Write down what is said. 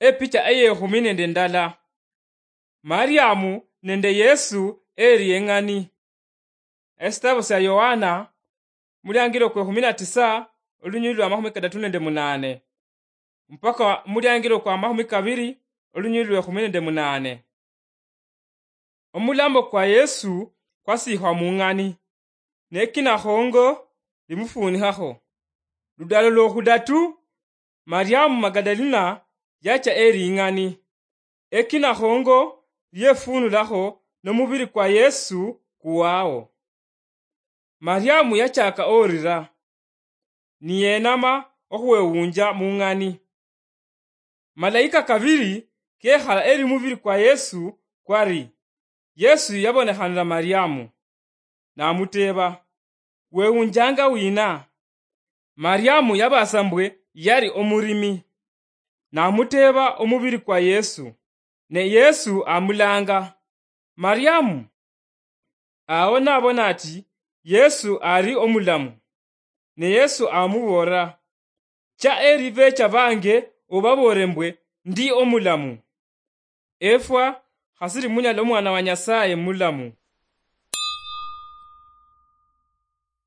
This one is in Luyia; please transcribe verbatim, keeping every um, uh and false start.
Epicha eyekhumi nende ndala. Mariamu nende Yesu eri eng'ani. Esitabo sia Yohana, muliangilo kwekhumi na tisa, olunyuli lwa makhumi kadatu nende munane, mpaka muliangilo kwa makhumi kabiri, olunyuli lwekhumi nende munane. Omulambo kwa Yesu kwasiikhwa mung'ani, ne kinakhongo limufunikhakho. Ludalo lwokhudatu, Mariamu Magadalina yacha eri ing'ani, ekinakhongo lyefunulakho nomubiri kwa Yesu kuwao. Mariamu yachaka orira, niyenama okhwewunja mung'ani. Malayika kabiri kekhala eri mubiri kwa Yesu kwari. Yesu yabonekhanira Mariamu, namuteeba, "Wewunjanga wina?" Mariamu yabaasa mbwe yali omurimi. Namuteeba omubiri kwa Yesu, ne Yesu amulanga, "Mariamu!" Awo nabona ati Yesu ali omulamu, ne Yesu amuboolera, "Cha eri becha bange obaboolere mbwe ndi omulamu." Efwa khasiri munyala omwana wa Nyasaye mulamu.